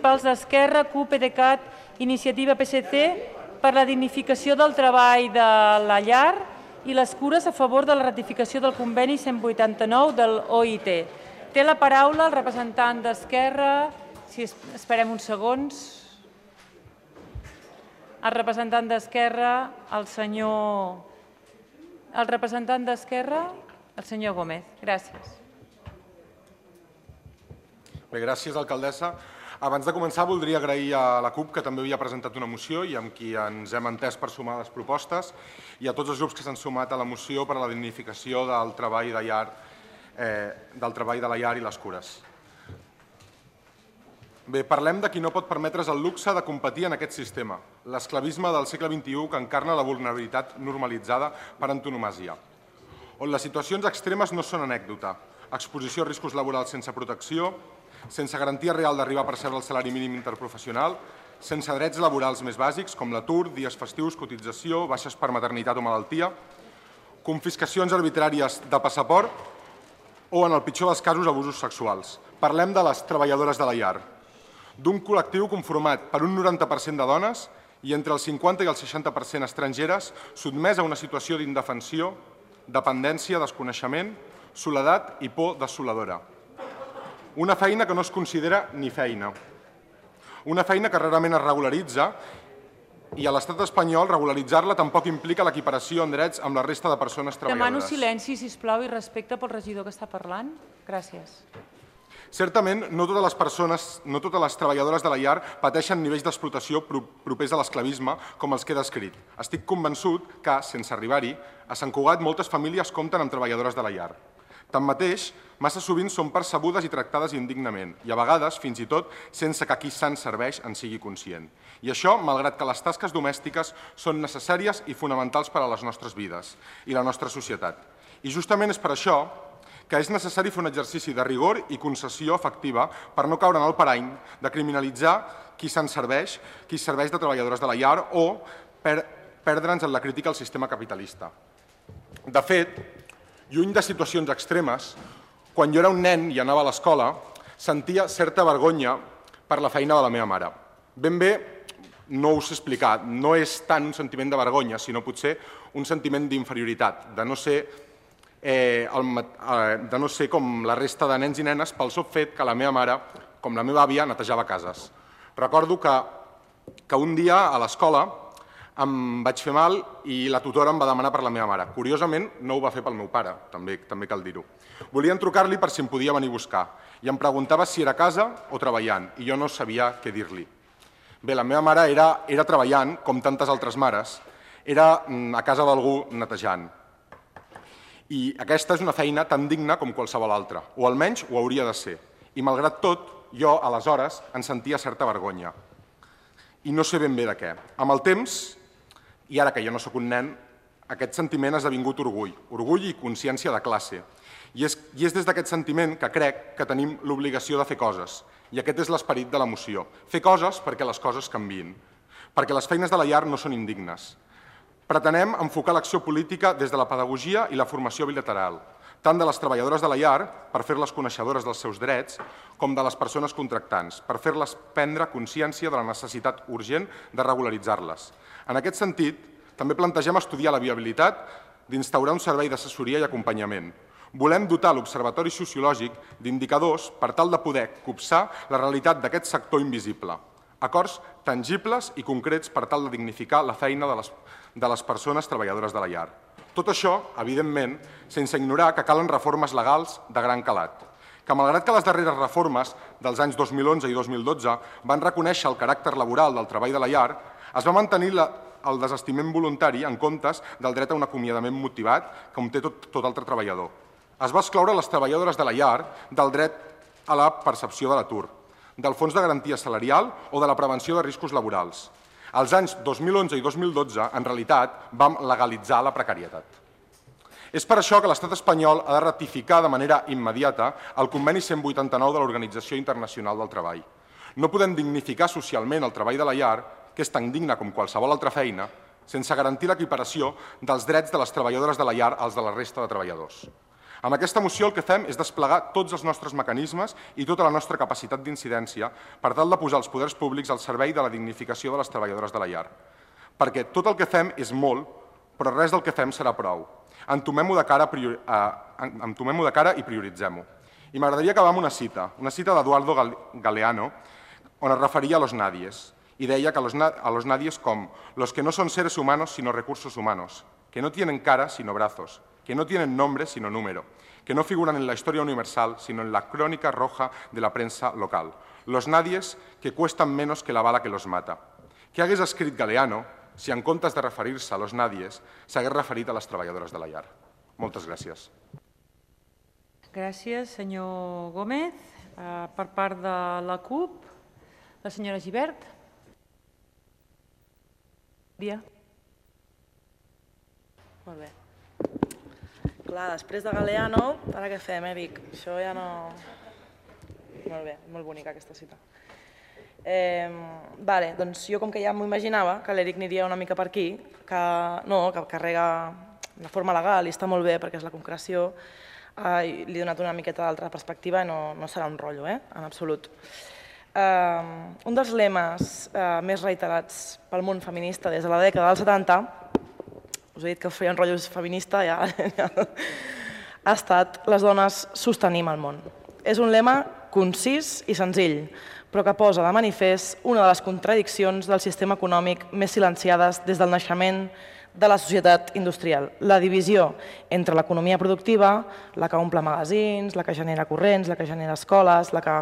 municipals d'Esquerra, CUP, PDeCAT, Iniciativa PSC per la dignificació del treball de la llar i les cures a favor de la ratificació del conveni 189 del OIT. Té la paraula el representant d'Esquerra. Si esperem uns segons. El representant d'Esquerra, el senyor Gómez. Gràcies. Bé, gràcies, alcaldessa. Abans de començar, voldria agrair a la CUP, que també havia presentat una moció i amb qui ens hem entès per sumar les propostes, i a tots els grups que s'han sumat a la moció per a la dignificació del treball de la llar i les cures. Bé, parlem de qui no pot permetre's el luxe de competir en aquest sistema, l'esclavisme del segle XXI que encarna la vulnerabilitat normalitzada per antonomàsia, on les situacions extremes no són anècdota, exposició a riscos laborals sense protecció, sense garantia real d'arribar a percebre el salari mínim interprofessional, sense drets laborals més bàsics com l'atur, dies festius, cotització, baixes per maternitat o malaltia, confiscacions arbitràries de passaport o, en el pitjor dels casos, abusos sexuals. Parlem de les treballadores de la llar, d'un col·lectiu conformat per un 90% de dones i entre el 50 i el 60% estrangeres, sotmès a una situació d'indefensió, dependència, desconeixement, soledat i por desoladora. Una feina que no es considera ni feina. Una feina que rarament es regularitza i a l'estat espanyol regularitzar-la tampoc implica l'equiparació en drets amb la resta de persones treballadores. Demano silenci, sisplau, i respecte pel regidor que està parlant. Gràcies. Certament, no totes les treballadores de la llar pateixen nivells d'explotació propers a l'esclavisme com els que he descrit. Estic convençut que, sense arribar-hi, a Sant Cugat moltes famílies compten amb treballadores de la llar. Tanmateix, massa sovint són percebudes i tractades indignament i, a vegades, fins i tot, sense que qui se'n serveix en sigui conscient. I això, malgrat que les tasques domèstiques són necessàries i fonamentals per a les nostres vides i la nostra societat. I justament és per això que és necessari fer un exercici de rigor i concessió efectiva per no caure en el parany de criminalitzar qui se'n serveix, qui serveix de treballadores de la llar o perdre'ns en la crítica al sistema capitalista. De fet, lluny de situacions extremes, quan jo era un nen i anava a l'escola, sentia certa vergonya per la feina de la meva mare. Ben bé, no us he explicat, no és tant un sentiment de vergonya, sinó potser un sentiment d'inferioritat, de no ser com la resta de nens i nenes pel sol fet que la meva mare, com la meva àvia, netejava cases. Recordo que un dia a l'escola em vaig fer mal i la tutora em va demanar per la meva mare. Curiosament, no ho va fer pel meu pare, també cal dir-ho. Volien trucar-li per si em podia venir a buscar i em preguntava si era a casa o treballant i jo no sabia què dir-li. Bé, la meva mare era treballant, com tantes altres mares, era a casa d'algú netejant. I aquesta és una feina tan digna com qualsevol altra, o almenys ho hauria de ser. I malgrat tot, jo, aleshores, en sentia certa vergonya. I no sé ben bé de què. Amb el temps, i ara que jo no sóc un nen, aquest sentiment ha esdevingut orgull i consciència de classe. I és des d'aquest sentiment que crec que tenim l'obligació de fer coses. I aquest és l'esperit de la moció. Fer coses perquè les coses canviïn. Perquè les feines de la llar no són indignes. Pretenem enfocar l'acció política des de la pedagogia i la formació bilateral, tant de les treballadores de la llar, per fer-les coneixedores dels seus drets, com de les persones contractants, per fer-les prendre consciència de la necessitat urgent de regularitzar-les. En aquest sentit, també plantegem estudiar la viabilitat d'instaurar un servei d'assessoria i acompanyament. Volem dotar l'Observatori Sociològic d'indicadors per tal de poder copsar la realitat d'aquest sector invisible. Acords tangibles i concrets per tal de dignificar la feina de les persones treballadores de la llar. Tot això, evidentment, sense ignorar que calen reformes legals de gran calat, que malgrat que les darreres reformes dels anys 2011 i 2012 van reconèixer el caràcter laboral del treball de la llar, es va mantenir el desestiment voluntari en comptes del dret a un acomiadament motivat com té tot altre treballador. Es va excloure les treballadores de la llar del dret a la percepció de l'atur, del fons de garantia salarial o de la prevenció de riscos laborals. Als anys 2011 i 2012, en realitat, vam legalitzar la precarietat. És per això que l'estat espanyol ha de ratificar de manera immediata el conveni 189 de l'Organització Internacional del Treball. No podem dignificar socialment el treball de la llar, que és tan digne com qualsevol altra feina, sense garantir l'equiparació dels drets de les treballadores de la llar als de la resta de treballadors. Amb aquesta moció el que fem és desplegar tots els nostres mecanismes i tota la nostra capacitat d'incidència per tal de posar els poders públics al servei de la dignificació de les treballadores de la llar. Perquè tot el que fem és molt, però res del que fem serà prou. Entomem-ho de cara i prioritzem-ho. I m'agradaria acabar amb una cita d'Eduardo Galeano, on es referia a los nadies, y deia que a los nadies com los que no son seres humanos sino recursos humanos, que no tienen cara sino brazos, que no tienen nombre sino número, que no figuran en la historia universal sino en la crónica roja de la prensa local. Los nadies que cuestan menos que la bala que los mata. Què hagués escrit Galeano si en comptes de referir-se a los nadies s'hagués referit a les treballadores de la llar? Moltes gràcies. Gràcies, senyor Gómez. Per part de la CUP, la senyora Gibert. Dia. Molt bé. Clar, després de Galeano, ara què fem, Vic? Això ja no... Molt bé, molt bonica aquesta cita. Doncs jo com que ja m'ho imaginava, que l'Eric aniria una mica per aquí, que carrega de forma legal i està molt bé perquè és la concreció, li he donat una miqueta d'altra perspectiva i no serà un rotllo, en absolut. Un dels lemes més reiterats pel món feminista des de la dècada dels 70, us he dit que feia un rotllo feminista, ja ha estat les dones sostenim el món. És un lema concís i senzill, però que posa de manifest una de les contradiccions del sistema econòmic més silenciades des del naixement de la societat industrial. La divisió entre l'economia productiva, la que omple magazins, la que genera corrents, la que genera escoles, la que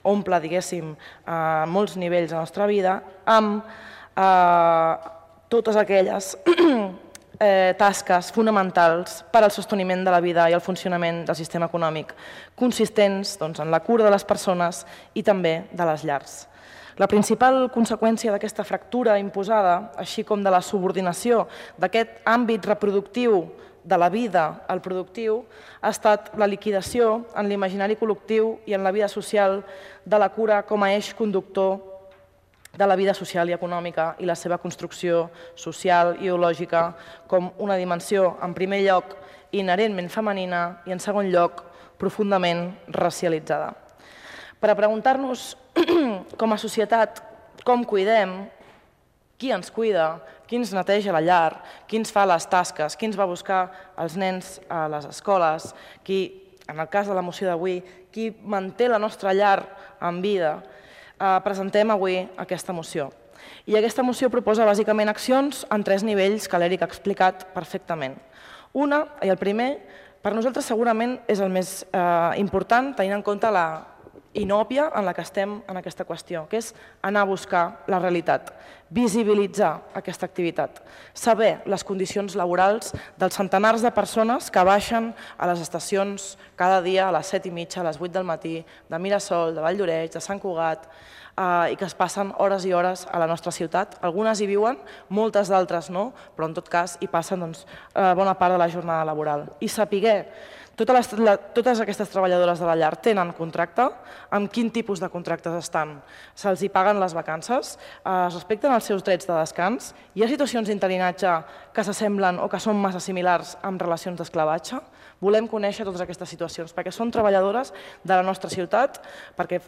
omple, diguéssim, molts nivells de la nostra vida, amb totes aquelles tasques fonamentals per al sosteniment de la vida i el funcionament del sistema econòmic, consistents en la cura de les persones i també de les llars. La principal conseqüència d'aquesta fractura imposada, així com de la subordinació d'aquest àmbit reproductiu de la vida al productiu, ha estat la liquidació en l'imaginari col·lectiu i en la vida social de la cura com a eix conductor de la vida social i econòmica i la seva construcció social i ideològica com una dimensió, en primer lloc, inherentment femenina i, en segon lloc, profundament racialitzada. Per a preguntar-nos com a societat com cuidem, qui ens cuida, qui ens neteja la llar, qui ens fa les tasques, qui ens va buscar els nens a les escoles, qui, en el cas de la moció d'avui, qui manté la nostra llar en vida, presentem avui aquesta moció. I aquesta moció proposa bàsicament accions en 3 nivells que l'Eric ha explicat perfectament. Una, i el primer, per nosaltres segurament és el més important, tenint en compte la inòpia en la que estem en aquesta qüestió, que és anar a buscar la realitat, visibilitzar aquesta activitat, saber les condicions laborals dels centenars de persones que baixen a les estacions cada dia a les 7:30, a les 8 del matí, de Mirasol, de Valldoreix, de Sant Cugat, i que es passen hores i hores a la nostra ciutat. Algunes hi viuen, moltes d'altres no, però en tot cas hi passen bona part de la jornada laboral. I saber totes aquestes treballadores de la llar tenen contracte, amb quin tipus de contractes estan, se'ls hi paguen les vacances, es respecten els seus drets de descans, hi ha situacions d'interinatge que s'assemblen o que són massa similars amb relacions d'esclavatge. Volem conèixer totes aquestes situacions perquè són treballadores de la nostra ciutat, perquè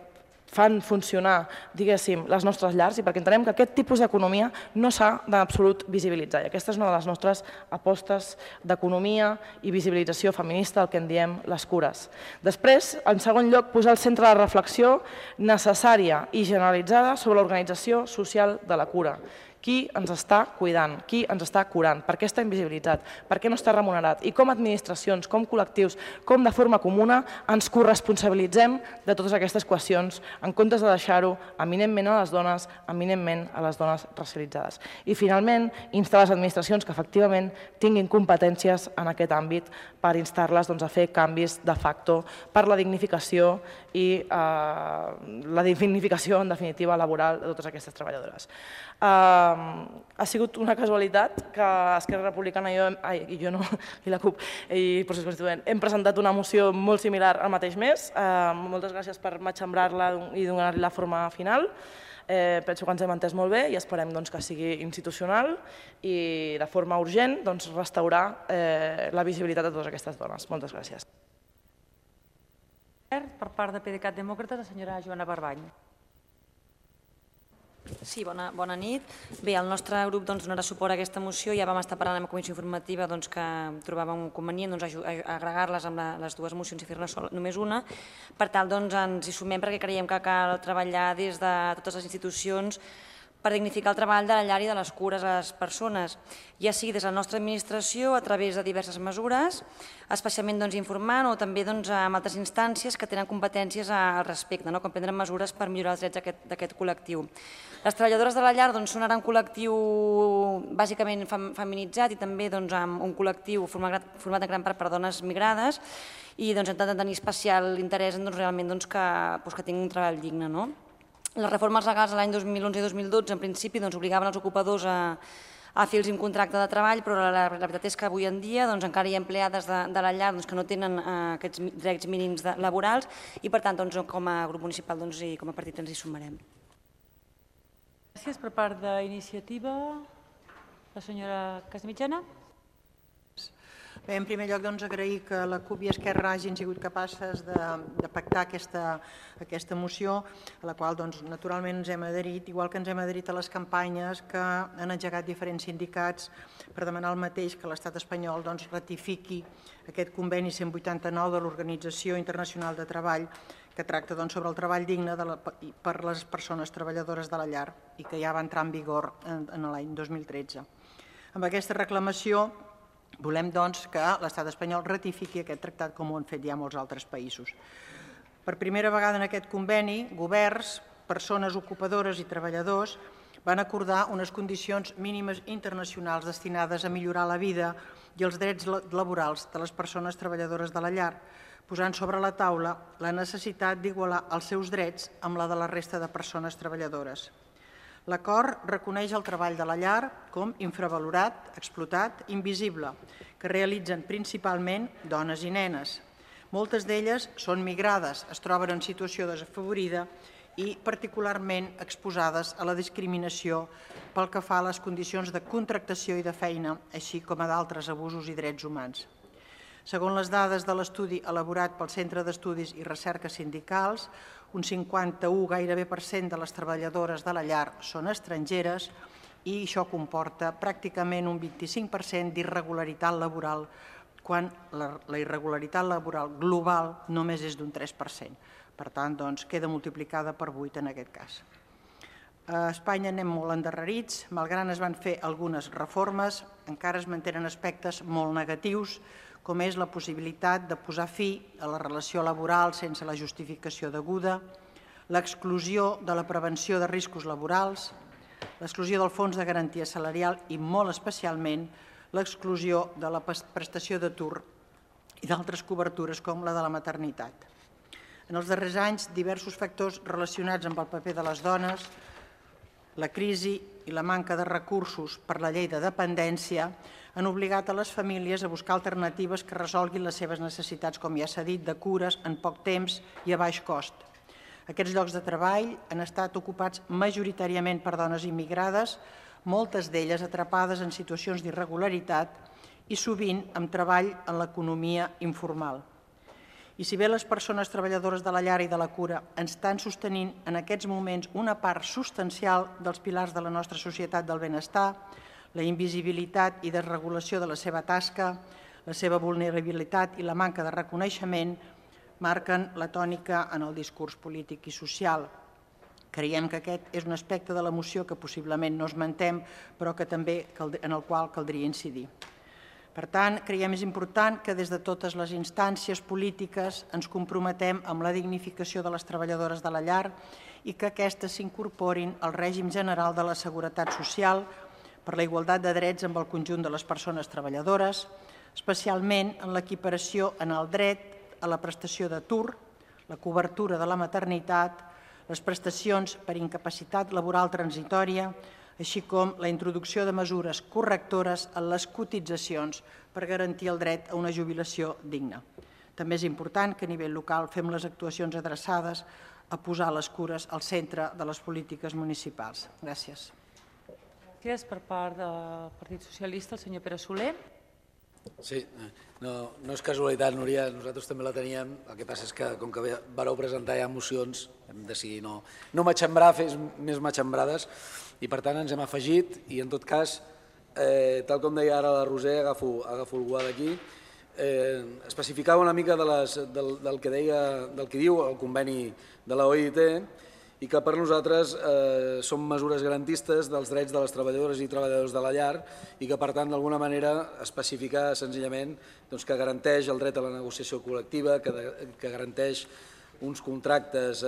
fan funcionar, diguéssim, les nostres llars i perquè entenem que aquest tipus d'economia no s'ha d'absolut visibilitzar. I aquesta és una de les nostres apostes d'economia i visibilització feminista, el que en diem les cures. Després, en segon lloc, posar al centre la reflexió necessària i generalitzada sobre l'organització social de la cura. Qui ens està cuidant, qui ens està curant, per què està invisibilitzat, per què no està remunerat i com administracions, com col·lectius, com de forma comuna ens corresponsabilitzem de totes aquestes qüestions en comptes de deixar-ho eminentment a les dones, eminentment a les dones racialitzades. I finalment, instar les administracions que efectivament tinguin competències en aquest àmbit per instar-les a fer canvis de facto per la dignificació i la dignificació, en definitiva, laboral de totes aquestes treballadores. Ha sigut una casualitat que Esquerra Republicana i jo no, i la CUP i Procés Constituent hem presentat una moció molt similar al mateix mes. Moltes gràcies per matxembrar-la i donar-li la forma final. Penso que ens hem entès molt bé i esperem que sigui institucional i de forma urgent restaurar la visibilitat de totes aquestes dones. Moltes gràcies. Per part de PDeCAT Demòcrates, la senyora Joana Barbany. Sí, bona nit. Bé, el nostre grup donarà suport a aquesta moció. Ja vam estar parlant amb la comissió informativa que trobàvem convenient agregar-les amb les dues mocions i fer-ne només una. Per tal, ens hi sumem perquè creiem que cal treballar des de totes les institucions per dignificar el treball de la llar i de les cures a les persones, ja sigui des de la nostra administració a través de diverses mesures, especialment informant o també amb altres instàncies que tenen competències al respecte, com prendre mesures per millorar els drets d'aquest col·lectiu. Les treballadores de la llar són ara un col·lectiu bàsicament feminitzat i també amb un col·lectiu format en gran part per dones migrades i hem de tenir especial interès realment que tinguin un treball digne. Les reformes legals de l'any 2011 i 2012 en principi obligaven els ocupadors a fer-los un contracte de treball, però la veritat és que avui en dia encara hi ha empleades de la llar que no tenen aquests drets mínims laborals i per tant com a grup municipal i com a partit ens hi sumarem. Gràcies. Per part d'Iniciativa, la senyora Casamitjana. Bé, en primer lloc, agrair que la CUP i Esquerra hagin sigut capaces de pactar aquesta moció, a la qual, naturalment, ens hem adherit, igual que ens hem adherit a les campanyes que han engegat diferents sindicats per demanar el mateix, que l'Estat espanyol ratifiqui aquest conveni 189 de l'Organització Internacional de Treball, que tracta sobre el treball digne per a les persones treballadores de la llar i que ja va entrar en vigor en l'any 2013. Amb aquesta reclamació volem que l'Estat espanyol ratifiqui aquest tractat com ho han fet ja molts altres països. Per primera vegada en aquest conveni, governs, persones ocupadores i treballadors van acordar unes condicions mínimes internacionals destinades a millorar la vida i els drets laborals de les persones treballadores de la llar, posant sobre la taula la necessitat d'igualar els seus drets amb la de la resta de persones treballadores. L'acord reconeix el treball de la llar com infravalorat, explotat, invisible, que realitzen principalment dones i nenes. Moltes d'elles són migrades, es troben en situació desafavorida i particularment exposades a la discriminació pel que fa a les condicions de contractació i de feina, així com a d'altres abusos i drets humans. Segons les dades de l'estudi elaborat pel Centre d'Estudis i Recerca Sindicals, un 51% gairebé de les treballadores de la llar són estrangeres i això comporta pràcticament un 25% d'irregularitat laboral, quan la irregularitat laboral global només és d'un 3%. Per tant, queda multiplicada per 8 en aquest cas. A Espanya anem molt endarrerits, malgrat es van fer algunes reformes, encara es mantenen aspectes molt negatius, com és la possibilitat de posar fi a la relació laboral sense la justificació deguda, l'exclusió de la prevenció de riscos laborals, l'exclusió del fons de garantia salarial i, molt especialment, l'exclusió de la prestació d'atur i d'altres cobertures com la de la maternitat. En els darrers anys, diversos factors relacionats amb el paper de les dones, la crisi i la manca de recursos per la llei de dependència han obligat a les famílies a buscar alternatives que resolguin les seves necessitats, com ja s'ha dit, de cures en poc temps i a baix cost. Aquests llocs de treball han estat ocupats majoritàriament per dones immigrades, moltes d'elles atrapades en situacions d'irregularitat i sovint amb treball en l'economia informal. I si bé les persones treballadores de la llar i de la cura ens estan sostenint en aquests moments una part substancial dels pilars de la nostra societat del benestar, la invisibilitat i desregulació de la seva tasca, la seva vulnerabilitat i la manca de reconeixement marquen la tònica en el discurs polític i social. Creiem que aquest és un aspecte de la moció que possiblement no esmentem, però que també en el qual caldria incidir. Per tant, creiem és important que des de totes les instàncies polítiques ens comprometem amb la dignificació de les treballadores de la llar i que aquestes s'incorporin al règim general de la seguretat social per la igualtat de drets amb el conjunt de les persones treballadores, especialment en l'equiparació en el dret a la prestació d'atur, la cobertura de la maternitat, les prestacions per incapacitat laboral transitòria, així com la introducció de mesures correctores en les cotitzacions per garantir el dret a una jubilació digna. També és important que a nivell local fem les actuacions adreçades a posar les cures al centre de les polítiques municipals. Gràcies. Gràcies per part del Partit Socialista, el senyor Pere Soler. Sí, no és casualitat, Núria, nosaltres també la teníem, el que passa és que com que vareu presentar ja mocions hem decidit no matxembrar, fer més matxembrades i per tant ens hem afegit i en tot cas, tal com deia ara la Roser, agafo el guà d'aquí, especificava una mica del que diu el conveni de la OIT i que per nosaltres són mesures garantistes dels drets de les treballadores i treballadors de la llar i que per tant d'alguna manera especificar senzillament que garanteix el dret a la negociació col·lectiva, que garanteix uns contractes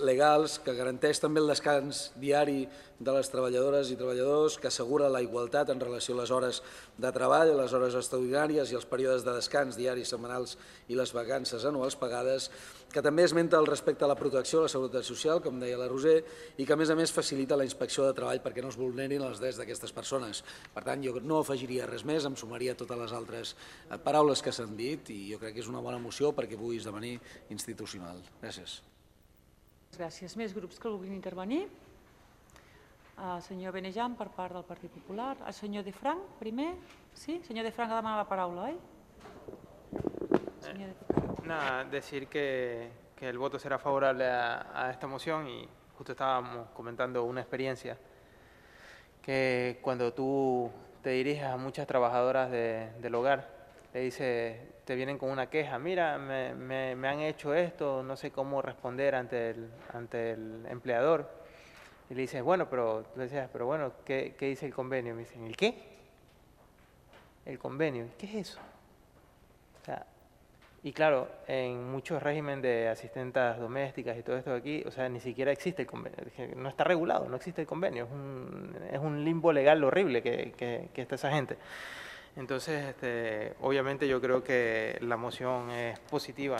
legals, que garanteix també el descans diari de les treballadores i treballadors, que assegura la igualtat en relació a les hores de treball, les hores extraordinàries i els períodes de descans diaris, setmanals i les vacances anuals pagades, que també esmenta el respecte a la protecció a la seguretat social, com deia la Roser, i que a més facilita la inspecció de treball perquè no es vulnerin els drets d'aquestes persones. Per tant, jo no afegiria res més, em sumaria totes les altres paraules que s'han dit i jo crec que és una bona moció perquè pugui esdevenir institucional. Gràcies. Gràcies. Més grups que vulguin intervenir? El senyor Benejan per part del Partit Popular. El senyor De Frank, primer. Sí? El senyor De Frank ha demanat la paraula, oi? Nada, decir que el voto será favorable a esta moción y justo estábamos comentando una experiencia que cuando tú te diriges a muchas trabajadoras del hogar, le dices, te vienen con una queja, mira, me han hecho esto, no sé cómo responder ante el empleador. Y le dices, bueno, pero bueno, ¿qué dice el convenio? Me dicen, ¿el qué? El convenio, ¿qué es eso? O sea, y claro, en muchos regímenes de asistentes domésticas y todo esto de aquí, o sea, ni siquiera existe el convenio, no está regulado, no existe el convenio, es un limbo legal horrible que está esa gente. Entonces, obviamente yo creo que la moción es positiva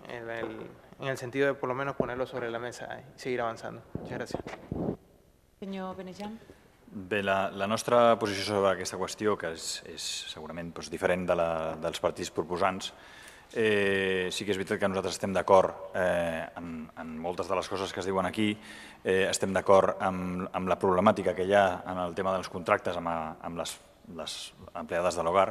en el sentido de por lo menos ponerlo sobre la mesa y seguir avanzando. Muchas gracias. Senyor Benejan. Bé, la nostra posició sobre aquesta qüestió, que és segurament diferent dels partits proposants, sí que és veritat que nosaltres estem d'acord en moltes de les coses que es diuen aquí, estem d'acord amb la problemàtica que hi ha en el tema dels contractes amb les empleades de l'hogar,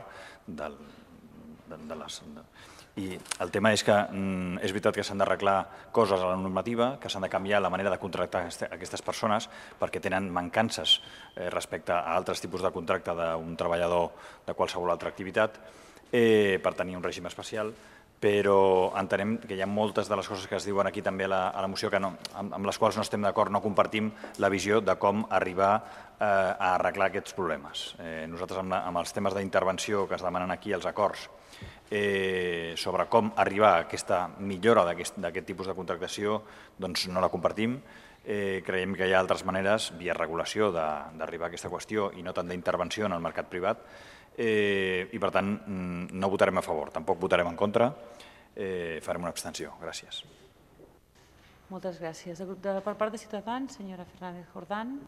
i el tema és que és veritat que s'han d'arreglar coses a la normativa, que s'han de canviar la manera de contractar aquestes persones perquè tenen mancances respecte a altres tipus de contracte d'un treballador de qualsevol altra activitat per tenir un règim especial, però entenem que hi ha moltes de les coses que es diuen aquí també a la moció amb les quals no estem d'acord, no compartim la visió de com arribar a arreglar aquests problemes. Nosaltres amb els temes d'intervenció que es demanen aquí, els acords, sobre com arribar a aquesta millora d'aquest tipus de contractació, doncs no la compartim. Creiem que hi ha altres maneres, via regulació, d'arribar a aquesta qüestió i no tant d'intervenció en el mercat privat, i per tant no votarem a favor, tampoc votarem en contra, farem una abstenció. Gràcies. Moltes gràcies. Per part de Ciutadans, senyora Fernández Jordán.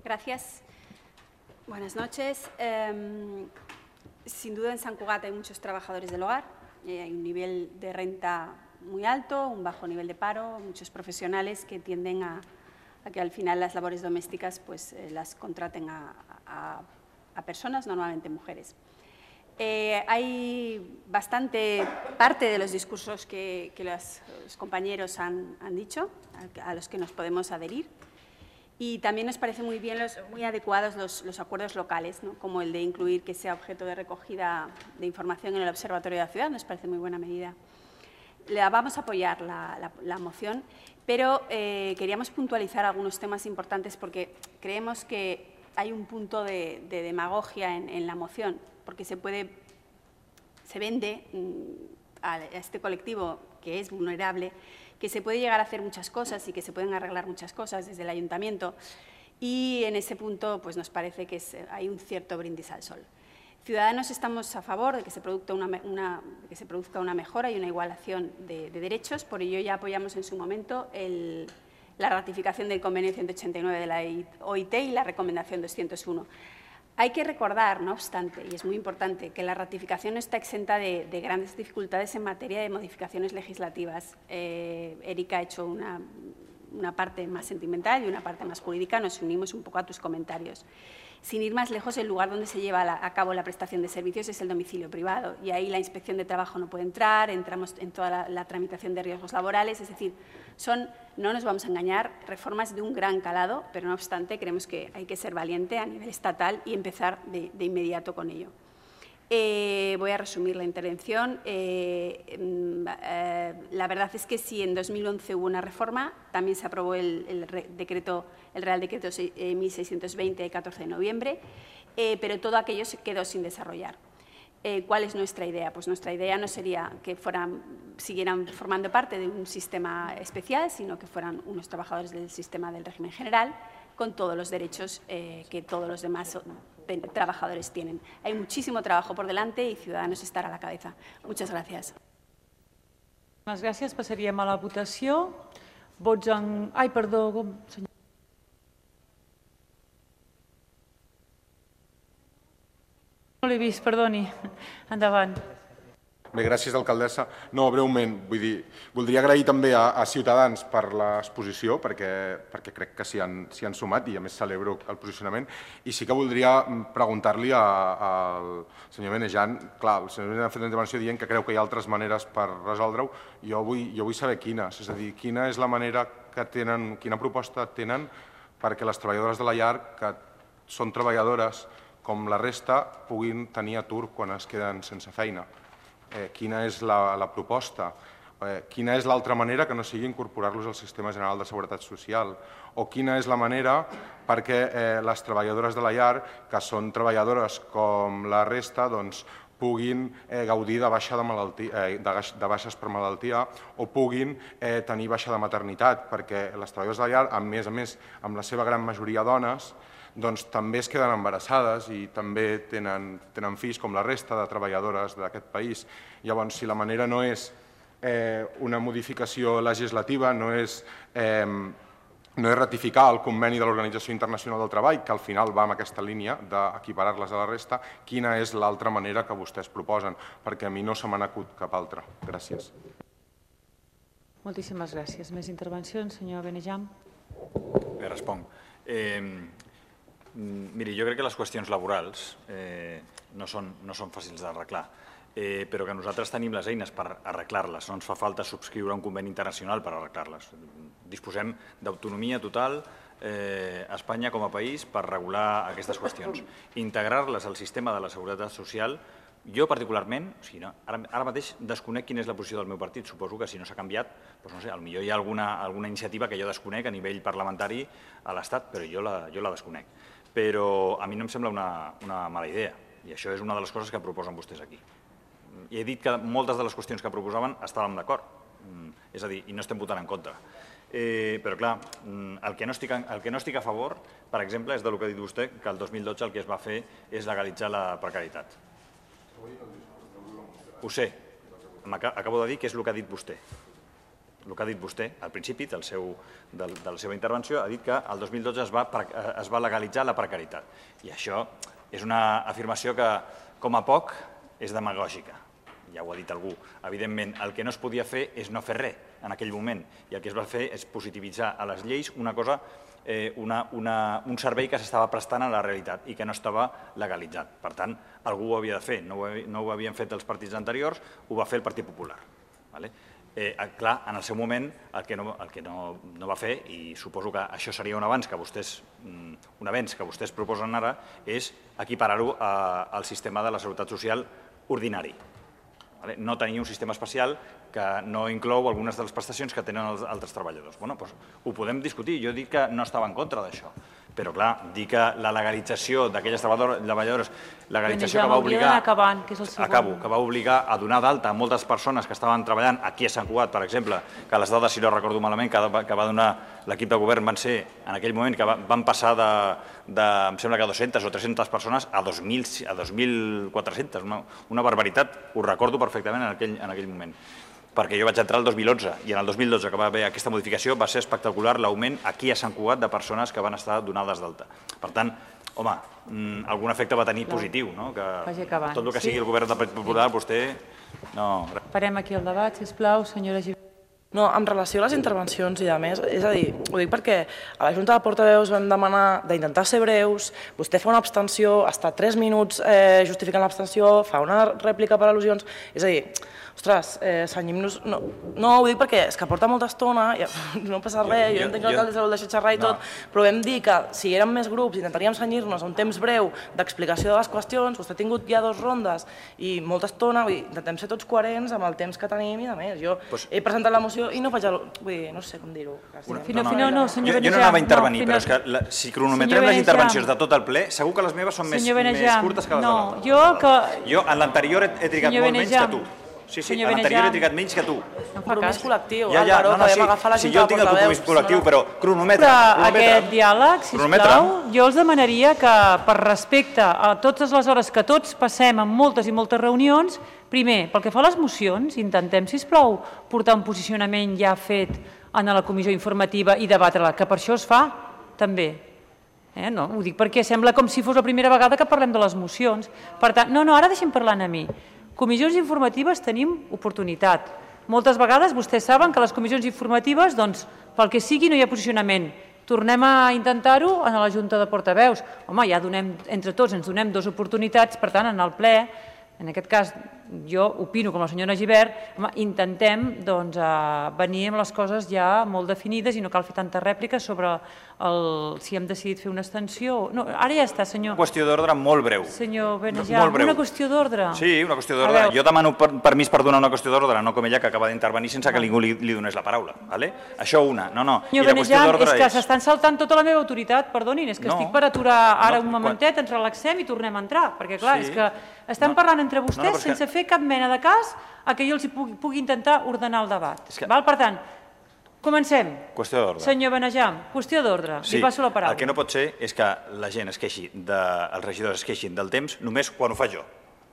Gracias. Buenas noches. Sin duda en Sant Cugat hay muchos trabajadores del hogar, hay un nivel de renta muy alto, un bajo nivel de paro, muchos profesionales que tienden a que al final las labores domésticas pues, las contraten a personas, normalmente mujeres. Hay bastante parte de los discursos que los compañeros han dicho, a los que nos podemos adherir. Y también nos parece muy bien, muy adecuados los acuerdos locales, ¿no? Como el de incluir que sea objeto de recogida de información en el Observatorio de la Ciudad, nos parece muy buena medida. Vamos a apoyar la moción, pero queríamos puntualizar algunos temas importantes porque creemos que hay un punto de demagogia en la moción, porque se vende a este colectivo que es vulnerable, que se puede llegar a hacer muchas cosas y que se pueden arreglar muchas cosas desde el ayuntamiento, y en ese punto pues, nos parece que hay un cierto brindis al sol. Ciudadanos estamos a favor de que se produzca una mejora y una igualación de derechos, por ello ya apoyamos en su momento la ratificación del convenio 189 de la OIT y la recomendación 201. Hay que recordar, no obstante, y es muy importante, que la ratificación no está exenta de grandes dificultades en materia de modificaciones legislativas. Erika ha hecho una parte más sentimental y una parte más jurídica. Nos unimos un poco a tus comentarios. Sin ir más lejos, el lugar donde se lleva a cabo la prestación de servicios es el domicilio privado y ahí la inspección de trabajo no puede entrar, entramos en toda la tramitación de riesgos laborales, es decir, no nos vamos a engañar, reformas de un gran calado, pero no obstante creemos que hay que ser valiente a nivel estatal y empezar de inmediato con ello. Voy a resumir la intervención. La verdad es que si en 2011 hubo una reforma, también se aprobó el Real Decreto 1620 de 14 de noviembre, pero todo aquello se quedó sin desarrollar. ¿Cuál es nuestra idea? Pues nuestra idea no sería que siguieran formando parte de un sistema especial, sino que fueran unos trabajadores del sistema del régimen general, con todos los derechos que todos los demás trabajadores tienen. Hay muchísimo trabajo por delante y Ciudadanos estarà a la cabeza. Muchas gracias. Moltes gràcies. Passaríem a la votació. Vots en... Ai, perdó, senyor. No l'he vist, perdoni. Endavant. Bé, gràcies, alcaldessa. No, breument, vull dir, voldria agrair també a Ciutadans per l'exposició, perquè crec que s'hi han sumat i a més celebro el posicionament. I sí que voldria preguntar-li al senyor Benejan, clar, el senyor Benejan ha fet una intervenció dient que creu que hi ha altres maneres per resoldre-ho. Jo vull saber quines, és a dir, quina és la manera que tenen, quina proposta tenen perquè les treballadores de la llar, que són treballadores com la resta, puguin tenir atur quan es queden sense feina. Quina és la proposta, quina és l'altra manera que no sigui incorporar-los al Sistema General de Seguretat Social, o quina és la manera perquè les treballadores de la llar, que són treballadores com la resta, puguin gaudir de baixes per malaltia o puguin tenir baixa de maternitat, perquè les treballadores de la llar, a més, amb la seva gran majoria dones, també es queden embarassades i també tenen fills com la resta de treballadores d'aquest país. Llavors, si la manera no és una modificació legislativa, no és ratificar el conveni de l'Organització Internacional del Treball, que al final va en aquesta línia d'equiparar-les a la resta, quina és l'altra manera que vostès proposen? Perquè a mi no se m'ha acut cap altra. Gràcies. Moltíssimes gràcies. Més intervencions, senyor Benejan? Bé, responc. Miri, jo crec que les qüestions laborals no són fàcils d'arreglar, però que nosaltres tenim les eines per arreglar-les. No ens fa falta subscriure un conveni internacional per arreglar-les. Disposem d'autonomia total a Espanya com a país per regular aquestes qüestions. Integrar-les al sistema de la seguretat social, jo particularment, ara mateix desconec quina és la posició del meu partit, suposo que si no s'ha canviat, potser hi ha alguna iniciativa que jo desconec a nivell parlamentari a l'Estat, però jo la desconec. Però a mi no em sembla una mala idea, i això és una de les coses que proposen vostès aquí. I he dit que moltes de les qüestions que proposaven estàvem d'acord, és a dir, i no estem votant en contra. Però clar, el que no estic a favor, per exemple, és del que ha dit vostè, que el 2012 el que es va fer és legalitzar la precarietat. Ho sé, acabo de dir que és el que ha dit vostè. El que ha dit vostè, al principi de la seva intervenció, ha dit que el 2012 es va legalitzar la precarietat. I això és una afirmació que, com a poc, és demagògica. Ja ho ha dit algú. Evidentment, el que no es podia fer és no fer res en aquell moment. I el que es va fer és positivitzar a les lleis una cosa, un servei que s'estava prestant a la realitat i que no estava legalitzat. Per tant, algú ho havia de fer. No ho havien fet els partits anteriors, ho va fer el Partit Popular. Clar, en el seu moment el que no va fer, i suposo que això seria un avenç que vostès proposen ara, és equiparar-ho al sistema de la seguretat social ordinari. No tenir un sistema especial que no inclou algunes de les prestacions que tenen els altres treballadors. Bé, doncs ho podem discutir. Jo dic que no estava en contra d'això. Però, clar, dir que la legalització d'aquelles treballadores, legalització que va obligar... Acabo, que va obligar a donar d'alta a moltes persones que estaven treballant aquí a Sant Cugat, per exemple, que les dades, si no recordo malament, que va donar l'equip de govern van ser, en aquell moment, que van passar em sembla que 200 o 300 persones a 2.400, una barbaritat, ho recordo perfectament en aquell moment. Perquè jo vaig entrar el 2011 i en el 2012 que va haver aquesta modificació va ser espectacular l'augment aquí a Sant Cugat de persones que van estar donades d'alta. Per tant, home, algun efecte va tenir positiu, no? Vagi acabant. Tot el que sigui el govern del Partit Popular, vostè... No. Parem aquí el debat, sisplau, senyora Gibert. No, en relació a les intervencions i a més, és a dir, ho dic perquè a la Junta de Portaveus vam demanar d'intentar ser breus, vostè fa una abstenció, està 3 minuts justificant l'abstenció, fa una rèplica per al·lusions, és a dir, ostres, senyim-nos... No, ho dic perquè és que porta molta estona, no passa res, jo entenc que l'alcalde vol deixar xerrar i tot, però vam dir que si érem més grups intentaríem senyir-nos a un temps breu d'explicació de les qüestions, vostè ha tingut ja 2 rondes i molta estona, intentem ser tots coherents amb el temps que tenim i a més. Jo he presentat la moció i no faig no sé com dir-ho. No, senyor Benejam. Jo no anava a intervenir, però és que si cronometrem les intervencions de tot el ple, segur que les meves són més curtes que les de l'altre. Jo en l'anterior he trigat molt menys que tu. Sí, en l'anterior he trigat menys que tu. Compromís col·lectiu, Álvaro, que vam agafar la Junta de Portaveus. Sí, jo tinc el compromís col·lectiu, però cronometre. Aquest diàleg, sisplau, jo els demanaria que, per respecte a totes les hores que tots passem en moltes i moltes reunions, primer, pel que fa a les mocions, intentem, sisplau, portar un posicionament ja fet en la comissió informativa i debatre-la, que per això es fa, també. No, ho dic perquè sembla com si fos la primera vegada que parlem de les mocions. Per tant, ara deixem parlant a mi. Comissions informatives tenim oportunitat. Moltes vegades vostès saben que a les comissions informatives, doncs, pel que sigui, no hi ha posicionament. Tornem a intentar-ho en la Junta de Portaveus. Home, ja donem, entre tots ens donem 2 oportunitats, per tant, en el ple, en aquest cas, jo opino com la senyora Gibert, intentem venir amb les coses ja molt definides i no cal fer tanta rèplica sobre si hem decidit fer una extensió. No, ara ja està, senyor. Una qüestió d'ordre molt breu. Senyor Benejam, una qüestió d'ordre. Sí, una qüestió d'ordre. Jo demano permís per donar una qüestió d'ordre, no com ella que acaba d'intervenir sense que ningú li donés la paraula. Això una. No. Senyor Benejam, és que s'estan saltant tota la meva autoritat, perdonin, és que estic per aturar ara un momentet, ens relaxem i tornem a entrar, perquè clar, és que estan parlant entre vostès sense fer cap mena de cas a que jo els pugui intentar ordenar el debat. Per tant, comencem. Qüestió d'ordre. Senyor Benejam, qüestió d'ordre. Li passo la paraula. El que no pot ser és que la gent es queixi, els regidors es queixin del temps només quan ho faig jo.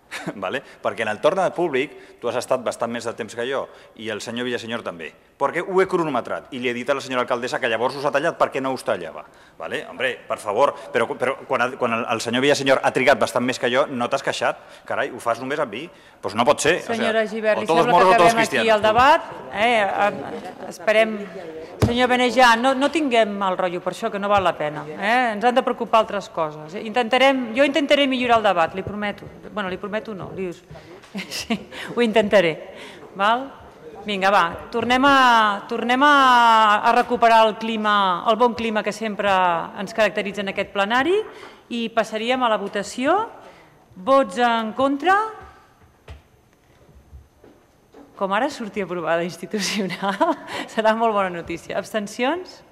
Perquè en el torn públic tu has estat bastant més de temps que jo i el senyor Villasenyor també, perquè ho he cronometrat i li he dit a la senyora alcaldessa que llavors us ha tallat perquè no us tallava. Hombre, per favor, però quan el senyor Villasenyor ha trigat bastant més que jo, no t'has queixat? Carai, ho fas només amb mi? Doncs no pot ser. Senyora Gibert, li sembla que acabem aquí el debat? Esperem... Senyor Benejam, no tinguem mal rotllo per això, que no val la pena. Ens han de preocupar altres coses. Jo intentaré millorar el debat, li prometo. Bueno, li prometo no, ho intentaré. Vinga, va, tornem a recuperar el bon clima que sempre ens caracteritza en aquest plenari i passaríem a la votació. Vots en contra? Com ara surti aprovada institucional, serà molt bona notícia. Abstencions?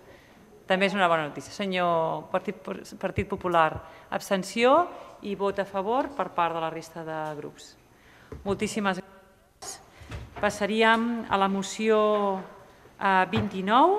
També és una bona notícia. Senyor Partit Popular, abstenció i vot a favor per part de la resta de grups. Moltíssimes gràcies. Passaríem a la moció 29.